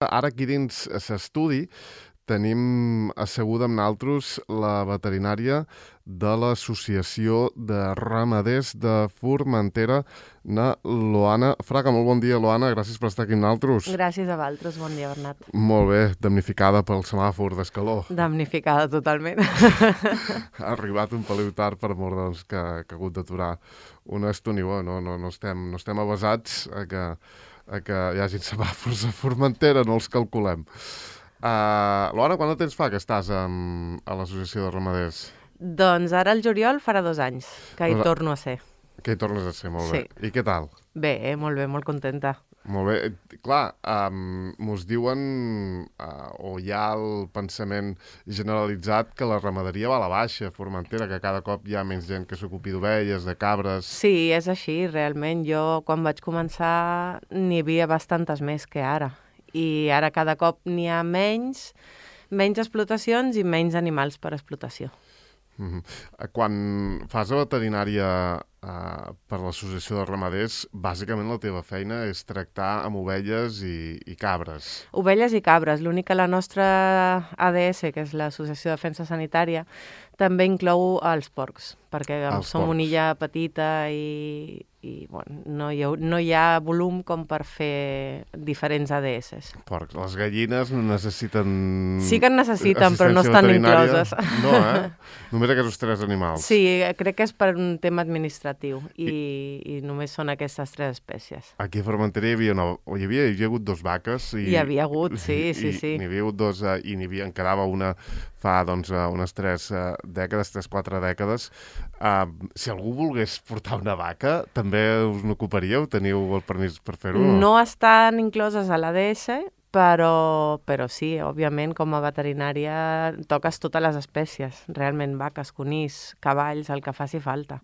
Ara aquí dins l'estudi tenim asseguda amb naltros la veterinària de l'Associació de Ramaders de Formentera, na Loana Fraga. Molt bon dia, Loana. Gràcies per estar aquí amb naltros. Gràcies a vosaltres. Bon dia, Bernat. Molt bé. Damnificada pel semàfor d'escaló. Damnificada totalment. Ha arribat un peliu tard per mort doncs, que ha hagut d'aturar una estona. No estem avasats a que hi hagi semàfors a Formentera, no els calculem. Loana, quant de temps fa que estàs a l'Associació de Ramaders? Doncs ara el juliol farà 2 anys que hi torno a ser. Que hi tornes a ser, molt bé. I què tal? Bé, molt contenta. Molt bé. Clar, mos diuen, o hi ha el pensament generalitzat que la ramaderia va a la baixa a Formentera, que cada cop hi ha menys gent que s'ocupi d'ovelles, de cabres... Sí, és així, realment. Jo, quan vaig començar, n'hi havia bastantes més que ara. I ara cada cop n'hi ha menys explotacions i menys animals per explotació. Quan fas la veterinària per l'Associació de Ramaders, bàsicament la teva feina és tractar amb ovelles i cabres. Ovelles i cabres. L'únic que la nostra ADS, que és l'Associació de Defensa Sanitària, també inclou els porcs, perquè som una illa petita i no hi ha volum com per fer diferents ADS. Porcs. Les gallines no necessiten... Sí que en necessiten, però no estan incloses. No, Només aquests 3 animals. Sí, crec que és per un tema administratiu i només són aquestes 3 espècies. Aquí a Formentera hi havia hagut 2 vaques. Hi havia hagut, sí. N'hi havia hagut 2 i en quedava una fa unes 3-4 dècades. Si algú volgués portar una vaca, també us n'ocuparíeu? Teniu el permís per fer-ho? No estan incloses a l'ADS, però sí, òbviament, com a veterinària toques totes les espècies, realment vaques, conills, cavalls, el que faci falta.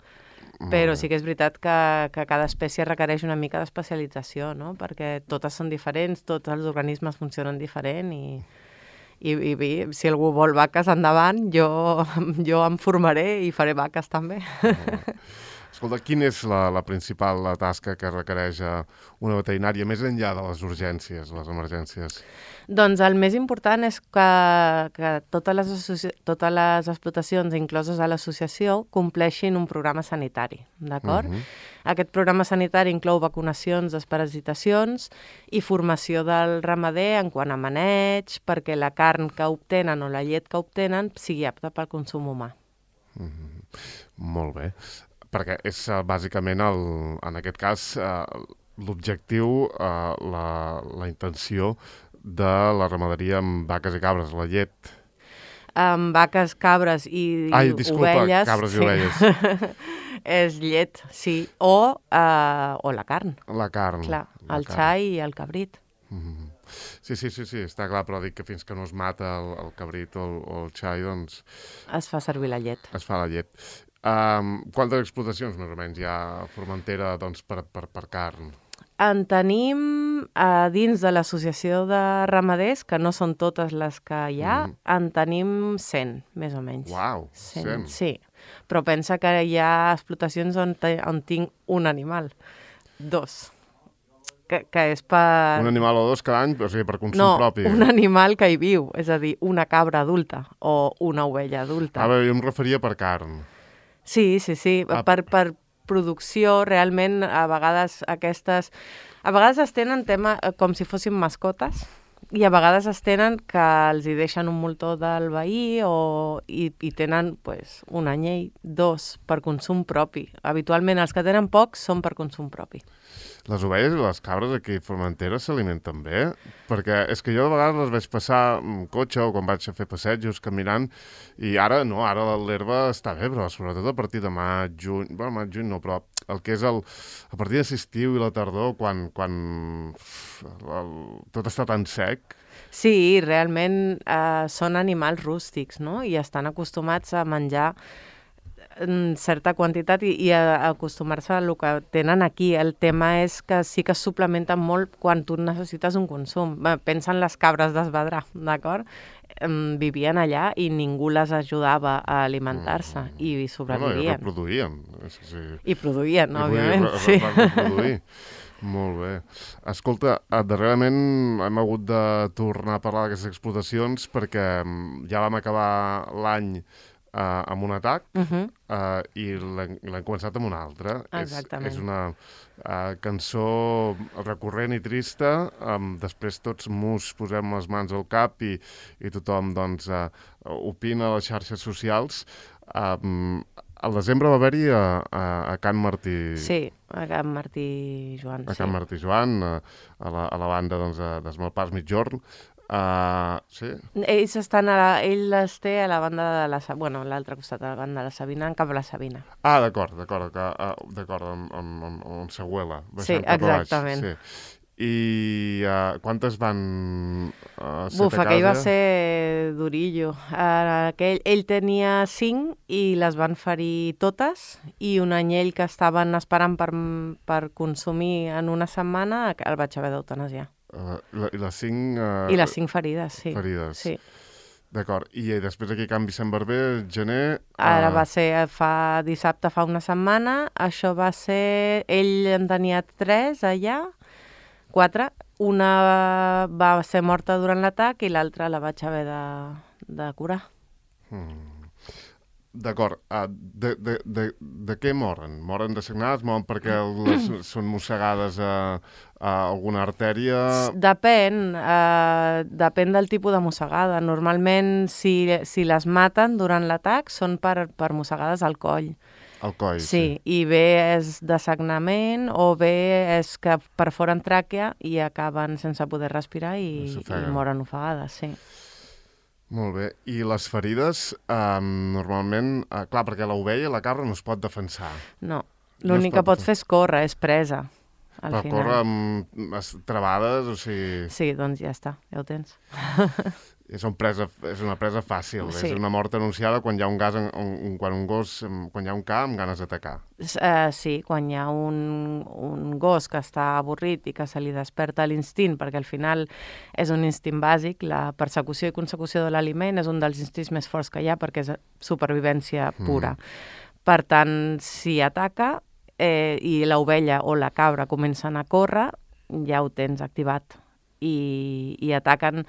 Però sí que és veritat que cada espècie requereix una mica d'especialització, no? Perquè totes són diferents, tots els organismes funcionen diferent i si algú vol vaques, endavant, jo em formaré i faré vaques també. Escolta, quina és la principal tasca que requereix una veterinària, més enllà de les urgències, les emergències? Doncs el més important és que totes les explotacions incloses a l'associació compleixin un programa sanitari, d'acord? Aquest programa sanitari inclou vacunacions, desparasitacions i formació del ramader en quant a maneig, perquè la carn que obtenen o la llet que obtenen sigui apta pel consum humà. Molt bé. Perquè és bàsicament, en aquest cas, l'objectiu, la intenció de la ramaderia amb vaques i cabres, la llet. Amb vaques, cabres i ovelles... Cabres i ovelles. És llet, sí, o la carn. La carn. Clar, el xai i el cabrit. Sí, està clar, però dic que fins que no es mata el cabrit o el xai, doncs... Es fa servir la llet. Es fa la llet. Quantes explotacions, més o menys, hi ha a Formentera per carn? En tenim dins de l'associació de ramaders, que no són totes les que hi ha, en tenim 100, més o menys. Uau, 100? Sí, però pensa que hi ha explotacions on tinc un animal, 2, que és per... Un animal o 2 cada any, o sigui, per consum propi? No, un animal que hi viu, és a dir, una cabra adulta o una ovella adulta. Jo em referia per carn. Sí, per producció, realment, a vegades es tenen tema com si fossin mascotes i a vegades es tenen que els hi deixen un moltó del veí i tenen un anyell, 2 per consum propi. Habitualment els que tenen pocs són per consum propi. Les ovelles i les cabres aquí a Formentera s'alimenten bé? Perquè és que jo de vegades les veig passar amb cotxe o quan vaig a fer passejos caminant i ara l'herba està bé, però sobretot a partir de maig, juny, no, però el que és a partir de l'estiu i la tardor, quan tot està tan sec. Sí, realment són animals rústics, no? I estan acostumats a menjar certa quantitat i a acostumar-se al que tenen aquí. El tema és que sí que es suplementen molt quan tu necessites un consum. Pensa en les cabres d'Esvedrà, d'acord? Vivien allà i ningú les ajudava a alimentar-se i sobrevivien. I reproduïen. I produïen, òbviament. Van reproduir. Molt bé. Escolta, darrerament hem hagut de tornar a parlar d'aquestes explotacions perquè ja vam acabar l'any amb un atac i l'hem començat amb un altre. Exactament. És una cançó recurrent i trista. Després tots mus posem les mans al cap i tothom doncs, opina a les xarxes socials. Al desembre va haver-hi a Can Martí... Sí, a Can Martí Joan. A Can Martí Joan, a la banda doncs, d'Esmalpars Mitjorn. Sí? Ells ell les té a la banda de la... Bueno, a l'altre costat de la banda de la Sabina, en cap a la Sabina. D'acord, on s'aguela. Sí, exactament. Sí. I quantes van ser Buf, tacades? aquell va ser durillo. Ell tenia 5 i les van ferir totes, i un anyell que estaven esperant per consumir en una setmana el vaig haver d'eutanasiar. I les 5... I les 5 ferides, sí. Ferides. Sí. D'acord. I després aquí a Can Vicent Barber, gener... Ara va ser dissabte, fa una setmana. Això va ser... Ell en tenia 3 allà, 4. Una va ser morta durant l'atac i l'altra la vaig haver de curar. D'acord. De què moren? Moren de sagnades? Moren perquè són mossegades a alguna artèria? Depèn del tipus de mossegada. Normalment, si les maten durant l'atac, són per mossegades al coll. Al coll, sí. I bé és de sagnament o bé és que perforen tràquea i acaben sense poder respirar i moren ofegades, sí. Molt bé. I les ferides, normalment... clar, perquè l'ovella, la cabra, no es pot defensar. No. L'únic que pot fer és córrer, és presa. Però córrer amb travades, o sigui... Sí, doncs ja està, ja ho tens. És una presa fàcil, sí. És una mort anunciada quan hi ha un ca amb ganes d'atacar. Sí, quan hi ha un gos que està avorrit i que se li desperta l'instint, perquè al final és un instint bàsic, la persecució i consecució de l'aliment és un dels instints més forts que hi ha perquè és supervivència pura. Per tant, si ataca i l'ovella o la cabra comencen a córrer, ja ho tens activat. I ataquen...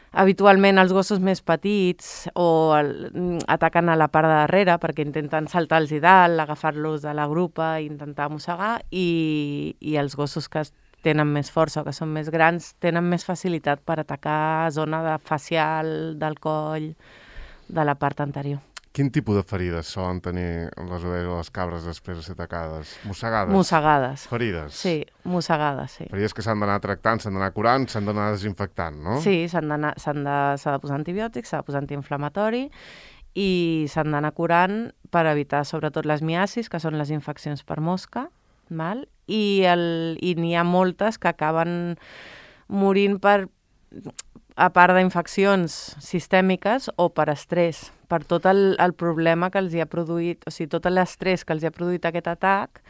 Habitualment els gossos més petits ataquen a la part de darrere perquè intenten saltar-los dalt, agafar-los de la grupa i intentar mossegar, i els gossos que tenen més força o que són més grans tenen més facilitat per atacar zona facial, del coll, de la part anterior. Quin tipus de ferides solen tenir les ovelles o les cabres després de ser atacades? Mossegades? Mossegades. Ferides? Sí, mossegades, sí. Ferides que s'han d'anar tractant, s'han d'anar curant, s'han d'anar desinfectant, no? Sí, s'ha de posar antibiòtics, s'ha de posar antiinflamatori i s'han d'anar curant per evitar sobretot les miasis, que són les infeccions per mosca, val? I n'hi ha moltes que acaben morint a part d'infeccions sistèmiques o per estrès, per tot el problema que els hi ha produït, o sigui, tot l'estrès que els hi ha produït aquest atac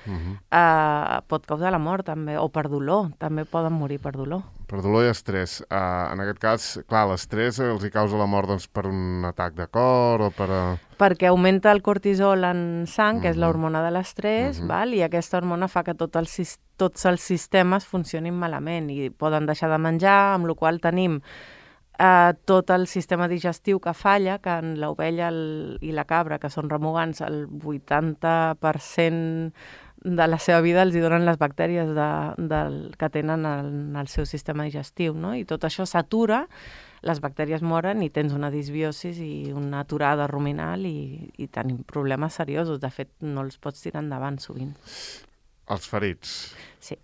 pot causar la mort també, o per dolor, també poden morir per dolor. Per dolor i estrès. En aquest cas, clar, l'estrès els hi causa la mort doncs, per un atac de cor o per... Perquè augmenta el cortisol en sang, que és l'hormona de l'estrès, i aquesta hormona fa que tots els sistemes funcionin malament i poden deixar de menjar, amb la qual cosa tenim tot el sistema digestiu que falla, que en l'ovella i la cabra, que són remugants, el 80% de la seva vida els hi donen les bactèries que tenen en el seu sistema digestiu, no? I tot això s'atura, les bactèries moren i tens una disbiosis i una aturada ruminal i tenim problemes seriosos. De fet, no els pots tirar endavant sovint. Els ferits? Sí.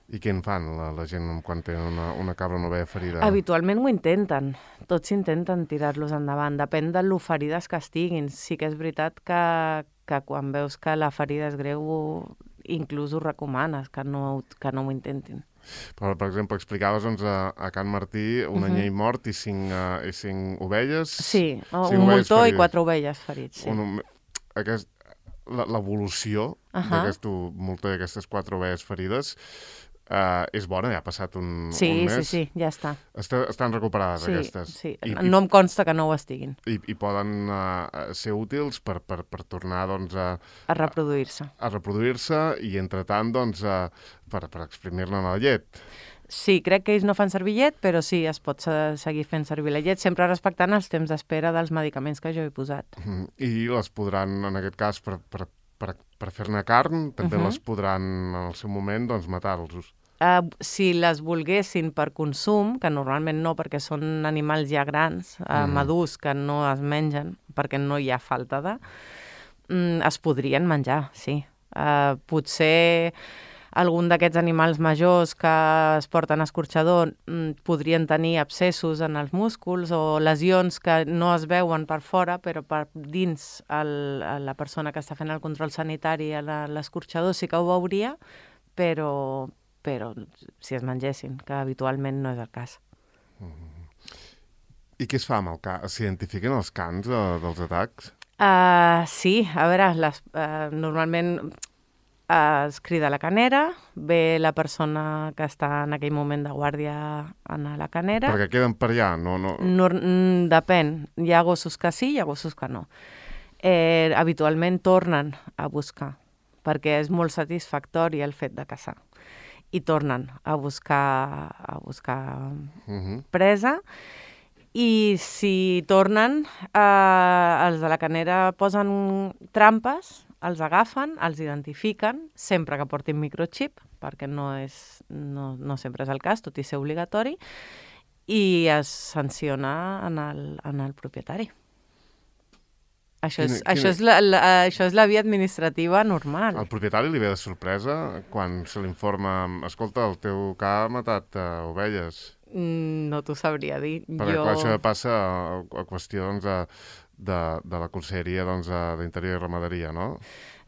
I què en fan la gent quan tenen una cabra o una ovella ferida? Habitualment ho intenten. Tots intenten tirar-los endavant. Depèn de lo ferides que estiguin. Sí que és veritat que quan veus que la ferida és greu, inclús ho recomanes, que no ho intentin. Però, per exemple, explicaves doncs, a Can Martí un anyell mort i 5 ovelles... Sí, un moltó i 4 ovelles ferits. Sí. L'evolució d'aquest moltó i aquestes 4 ovelles ferides és bona, ja ha passat un Sí, mes. sí, ja està. Estan recuperades, Sí, aquestes. sí. No em consta que no ho estiguin. I poden ser útils per tornar doncs, A reproduir-se. a reproduir-se i, entretant, doncs, per exprimir-ne la llet. Sí, crec que ells no fan servir llet, però sí, es pot seguir fent servir la llet, sempre respectant els temps d'espera dels medicaments que jo he posat. I les podran, en aquest cas, per fer-ne carn, també les podran, en el seu moment, doncs, matar-los. Si les volguessin per consum, que normalment no, perquè són animals ja grans, madurs, que no es mengen, perquè no hi ha falta de, es podrien menjar, sí. Potser algun d'aquests animals majors que es porten a escorxador podrien tenir abscessos en els músculs o lesions que no es veuen per fora, però per dins la persona que està fent el control sanitari a l'escorxador sí que ho veuria, però si es mengessin, que habitualment no és el cas. I què es fa amb el can? S'identifiquen els cans dels atacs? Sí, a veure, normalment es crida la canera, ve la persona que està en aquell moment de guàrdia a la canera. Perquè queden per allà, no? Depèn, hi ha gossos que sí, hi ha gossos que no. Habitualment tornen a buscar, perquè és molt satisfactori el fet de caçar. I tornen a buscar presa. I si tornen, els de la canera posen trampes, els agafen, els identifiquen, sempre que portin microchip, perquè no sempre és el cas, tot i ser obligatori, i es sanciona en el propietari. Això és la via administrativa normal. Al propietari li ve de sorpresa quan se l'informa, escolta, el teu ca ha matat ovelles. No t'ho sabria dir. Perquè clar, això passa a qüestió de la Conselleria d'Interior i Ramaderia, no?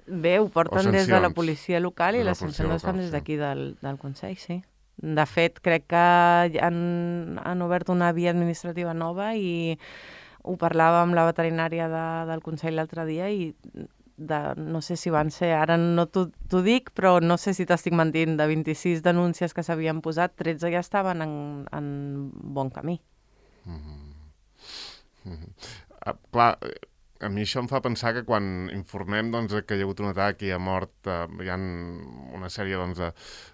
Bé, ho porten des de la policia local i les sancions les fan des d'aquí del Consell, sí. De fet, crec que han obert una via administrativa nova i ho parlava amb la veterinària del Consell l'altre dia i no sé si van ser, ara no t'ho dic, però no sé si t'estic mentint, de 26 denúncies que s'havien posat, 13 ja estaven en bon camí. Clar, a mi això em fa pensar que quan informem que hi ha hagut un atac i ha mort, hi ha una sèrie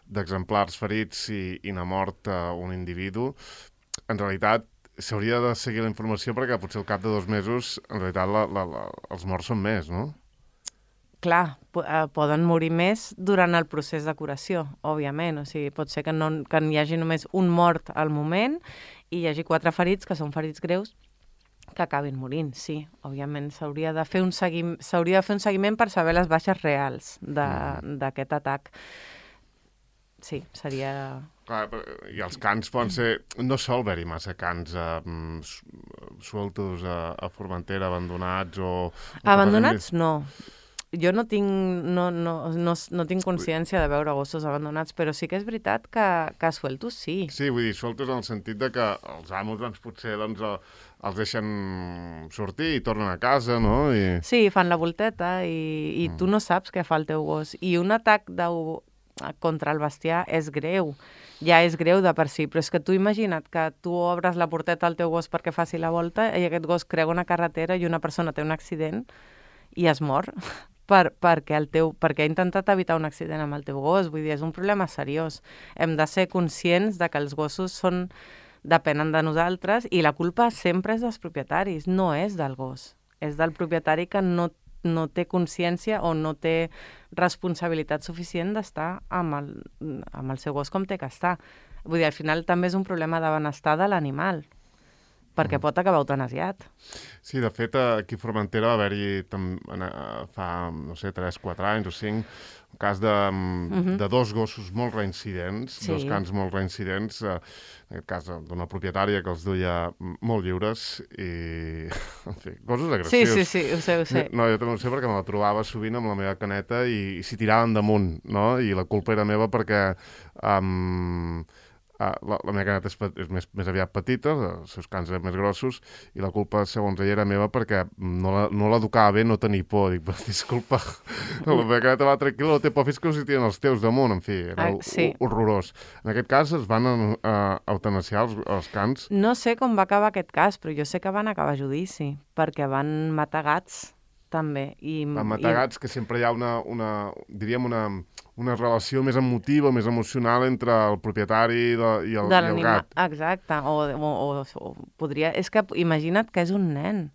d'exemplars ferits i n'ha mort un individu, en realitat s'hauria de seguir la informació perquè potser al cap de 2 mesos en realitat els morts són més, no? Clar, poden morir més durant el procés de curació, òbviament. O sigui, pot ser que n'hi hagi només un mort al moment i hi hagi 4 ferits, que són ferits greus, que acabin morint, sí. Òbviament s'hauria de fer un seguiment per saber les baixes reals d'aquest atac. Sí, seria... Clar, i els cans poden ser... No sol haver-hi massa cans sueltos a Formentera, abandonats o... Abandonats no. Jo no tinc consciència de veure gossos abandonats, però sí que és veritat que sueltos sí. Sí, vull dir, sueltos en el sentit de que els amos potser els deixen sortir i tornen a casa, no? Sí, fan la volteta i tu no saps què fa el teu gos. I un atac contra el bestiar és greu. Ja és greu de per si, però és que tu imagina't que tu obres la porteta al teu gos perquè faci la volta i aquest gos creua una carretera i una persona té un accident i es mor perquè ha intentat evitar un accident amb el teu gos. Vull dir, és un problema seriós. Hem de ser conscients de que els gossos depenen de nosaltres i la culpa sempre és dels propietaris, no és del gos. És del propietari que no té consciència o no té responsabilitat suficient d'estar amb el seu gos com té que estar. Vull dir, al final també és un problema de benestar de l'animal, perquè pot acabar eutanasiat. Sí, de fet, aquí a Formentera va haver-hi fa, no sé, 3-4 anys o 5, un cas de 2 gossos molt reincidents, sí. 2 cans molt reincidents, en aquest cas d'una propietària que els duia molt lliures i, en fi, gossos agressius. Sí, ho sé. No, jo també ho sé perquè me la trobava sovint amb la meva caneta i s'hi tiraven damunt, no? I la culpa era meva perquè la meva caneta és més aviat petita, els seus cans eren més grossos, i la culpa, segons ella, era meva perquè no l'educava bé no tenir por. Dic, disculpa, la meva caneta va tranquil·la, no té por, fins que no s'hi tiren els teus damunt, en fi, era horrorós. En aquest cas es van eutanasiar els cans. No sé com va acabar aquest cas, però jo sé que van acabar a judici, perquè van matar gats, també. Van matar gats, que sempre hi ha una relació més emotiva, més emocional entre el propietari i el gat. Exacte, o podria... És que imagina't que és un nen.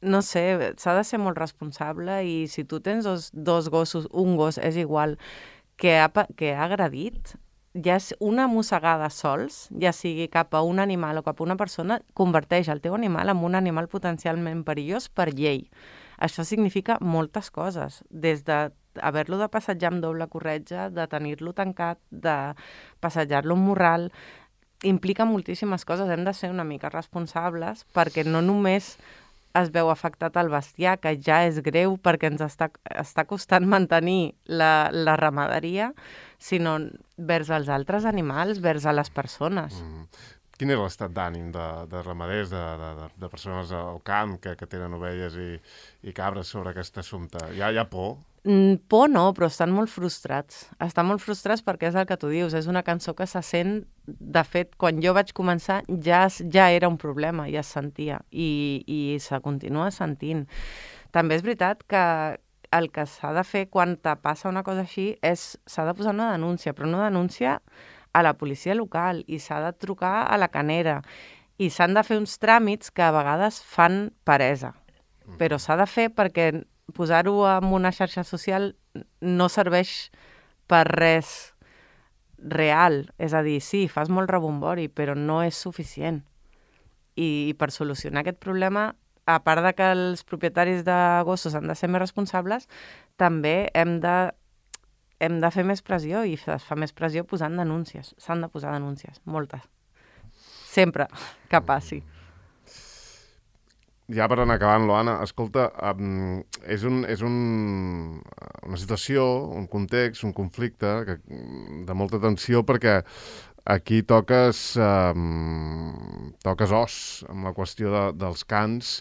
No sé, s'ha de ser molt responsable i si tu tens dos gossos, un gos, és igual, que ha agredit, ja una mossegada sols, ja sigui cap a un animal o cap a una persona, converteix el teu animal en un animal potencialment perillós per llei. Això significa moltes coses, des de haver-lo de passejar amb doble corretja, de tenir-lo tancat, de passejar-lo amb morral, implica moltíssimes coses. Hem de ser una mica responsables perquè no només es veu afectat el bestiar, que ja és greu perquè ens està costant mantenir la ramaderia, sinó vers els altres animals, vers a les persones. Quin és l'estat d'ànim de ramaders, de persones al camp que tenen ovelles i cabres sobre aquest assumpte? Hi ha por? Por no, però estan molt frustrats. Estan molt frustrats perquè és el que tu dius, és una cançó que se sent... De fet, quan jo vaig començar ja era un problema, ja es sentia, i se continua sentint. També és veritat que el que s'ha de fer quan te passa una cosa així és s'ha de posar una denúncia, però una denúncia a la policia local i s'ha de trucar a la canera i s'han de fer uns tràmits que a vegades fan peresa, però s'ha de fer perquè posar-ho en una xarxa social no serveix per res real, és a dir, sí, fas molt rebombori, però no és suficient. I per solucionar aquest problema, a part de que els propietaris de gossos han de ser més responsables, també hem de fer més pressió i es fa més pressió posant denúncies. S'han de posar denúncies, moltes. Sempre que passi. Ja per anar acabant, Loana, escolta, és una situació, un context, un conflicte de molta tensió perquè aquí toques os amb la qüestió dels cans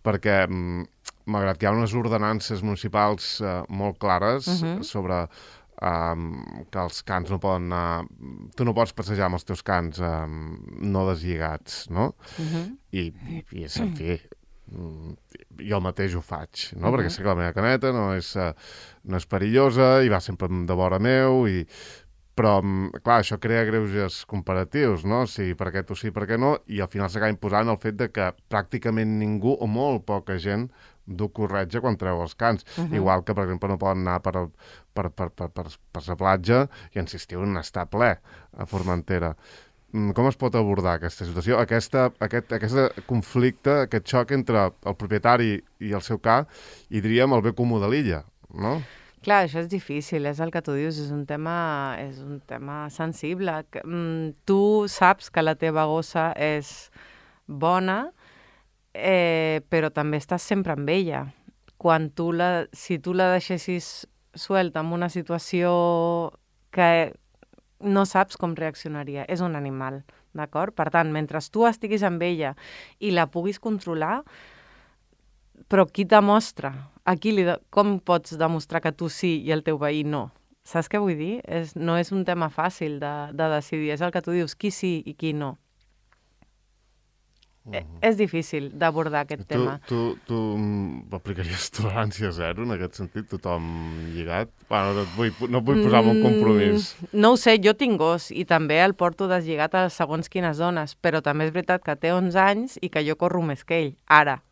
perquè malgrat que hi ha unes ordenances municipals molt clares sobre que els cans no poden anar... Tu no pots passejar amb els teus cans no deslligats, no? I en fi, jo mateix ho faig, no? Perquè sé que la meva caneta no és perillosa i va sempre de vora meu però, clar, això crea greuges comparatius, no? O sigui, per què tu sí, per què no? I al final s'acaba imposant el fet de que pràcticament ningú o molt poca gent du corretja quan treu els cans. Igual que, per exemple, no poden anar per la platja i en l'estiu n'està ple a Formentera. Com es pot abordar aquesta situació, aquest conflicte, aquest xoc entre el propietari i el seu ca i, diríem, el bé comú de l'illa, no? Clar, això és difícil, és el que tu dius, és un tema sensible. Tu saps que la teva gossa és bona, però també estàs sempre amb ella. Si tu la deixessis suelta en una situació que no saps com reaccionaria, és un animal, d'acord? Per tant, mentre tu estiguis amb ella i la puguis controlar, però qui te mostra? Com pots demostrar que tu sí i el teu veí no? Saps què vull dir? No és un tema fàcil de decidir, és el que tu dius, qui sí i qui no. És difícil d'abordar aquest tema. Tu aplicaries tolerància zero en aquest sentit? Tothom lligat? Bueno, no et vull posar en un compromís. No ho sé, jo tinc gos i també el porto deslligat a segons quines zones, però també és veritat que té 11 anys i que jo corro més que ell. Ara,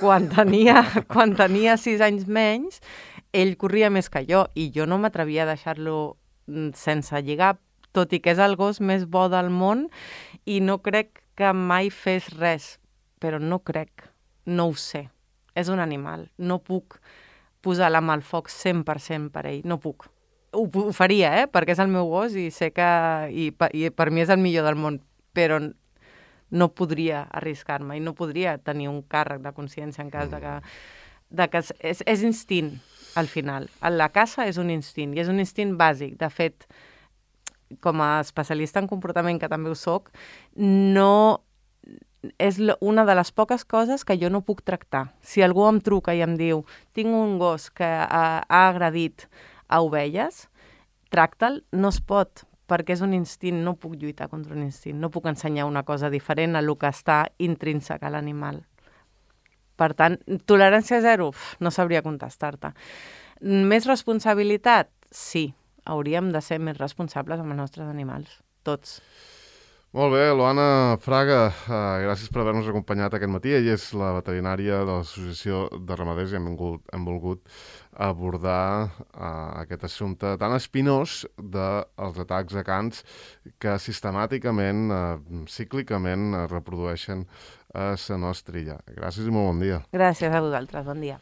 quan tenia 6 anys menys, ell corria més que jo i jo no m'atrevia a deixar-lo sense lligar, tot i que és el gos més bo del món i no crec que mai fes res, però no crec, no ho sé. És un animal, no puc posar la mà al foc 100% per ell, no puc. Ho faria, perquè és el meu gos i sé que i per mi és el millor del món, però no podria arriscar-me i no podria tenir un càrrec de consciència en cas de que és instint. al final. La caça és un instint, i és un instint bàsic. De fet, com a especialista en comportament, que també ho soc, no és una de les poques coses que jo no puc tractar. Si algú em truca i em diu tinc un gos que ha agredit a ovelles, tracta'l, no es pot, perquè és un instint, no puc lluitar contra un instint, no puc ensenyar una cosa diferent a lo que està intrínsec a l'animal. Per tant, tolerància zero, no sabria contestar-te. Més responsabilitat? Sí, hauríem de ser més responsables amb els nostres animals, tots. Molt bé, Luana Fraga, gràcies per haver-nos acompanyat aquest matí. Ella és la veterinària de l'Associació de Ramaders i hem volgut abordar aquest assumpte tan espinós dels atacs a cans que sistemàticament, cíclicament, reprodueixen a la nostra illa. Gràcies i molt bon dia. Gràcies a vosaltres, bon dia.